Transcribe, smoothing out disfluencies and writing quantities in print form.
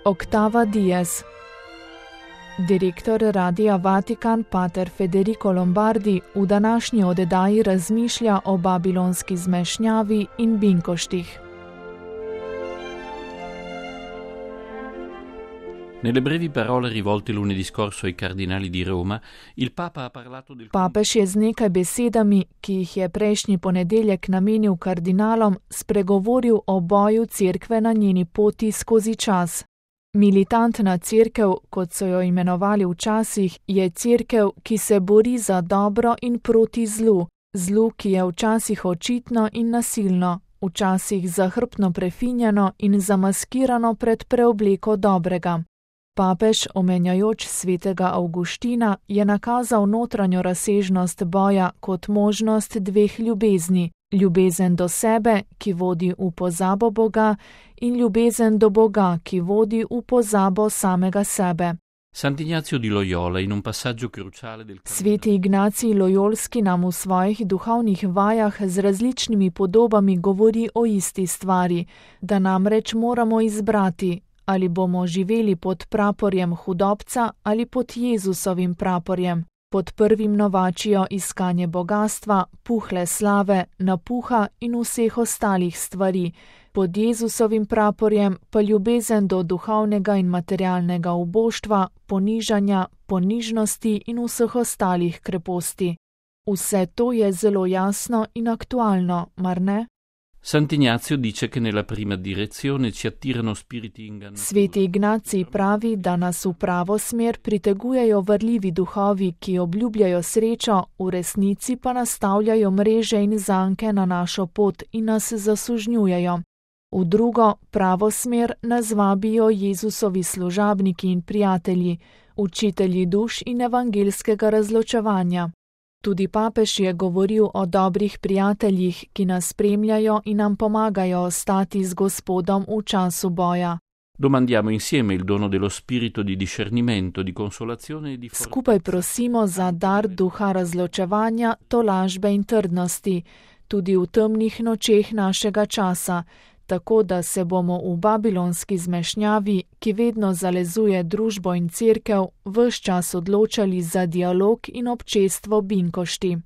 Octava Diez. Direktor Radia Vatikan pater Federico Lombardi v današnji oddaji razmišlja o babilonski zmešnjavi in binkoštih. Nelle brevi parole rivolte lunedì scorso ai cardinali di Roma, il Papa ha parlato del... Papež je z nekaj besedami, ki jih je prejšnji ponedeljek namenil kardinalom, spregovoril o boju cerkve na njeni poti skozi čas. Militantna cerkev, kot so jo imenovali včasih, je cerkev, ki se bori za dobro in proti zlu. Zlu, ki je včasih očitno in nasilno, včasih zahrbtno prefinjeno in zamaskirano pred preobleko dobrega. Papež, omenjajoč svetega Avguština, je nakazal notranjo razsežnost boja kot možnost dveh ljubezni. Ljubezen do sebe, ki vodi v pozabo Boga, in ljubezen do Boga, ki vodi v pozabo samega sebe. Sant'Ignazio di Loyola in un passaggio cruciale del... Sveti Ignacij Lojolski nam v svojih duhovnih vajah z različnimi podobami govori o isti stvari, da namreč moramo izbrati, ali bomo živeli pod praporjem hudobca ali pod Jezusovim praporjem. Pod prvim novačijo iskanje bogastva, puhle slave, napuha in vseh ostalih stvari, pod Jezusovim praporjem pa ljubezen do duhovnega in materialnega uboštva, ponižanja, ponižnosti in vseh ostalih kreposti. Vse to je zelo jasno in aktualno, mar ne? Sant'Ignazio dice che nella prima direzione ci attirano spiriti ingannosi. Sveti Ignacij pravi, da nas v pravo smer pritegujejo varljivi duhovi, ki obljubljajo srečo, v resnici pa nastavljajo mreže in zanke na našo pot in nas zasužnjujejo. V drugo, pravo smer nas vabijo Jezusovi služabniki in prijatelji, učitelji duš in evangelskega razločevanja. Tudi papež je govoril o dobrih prijateljih, ki nas spremljajo in nam pomagajo ostati z Gospodom v času boja. Domandiamo insieme il dono dello spirito di discernimento, di consolazione e di forza. Skupaj prosimo za dar duha razločevanja, tolažbe in trdnosti, tudi v temnih nočeh našega časa, tako da se bomo v babilonski zmešnjavi, ki vedno zalezuje družbo in cerkev, ves čas odločali za dialog in občestvo binkošti.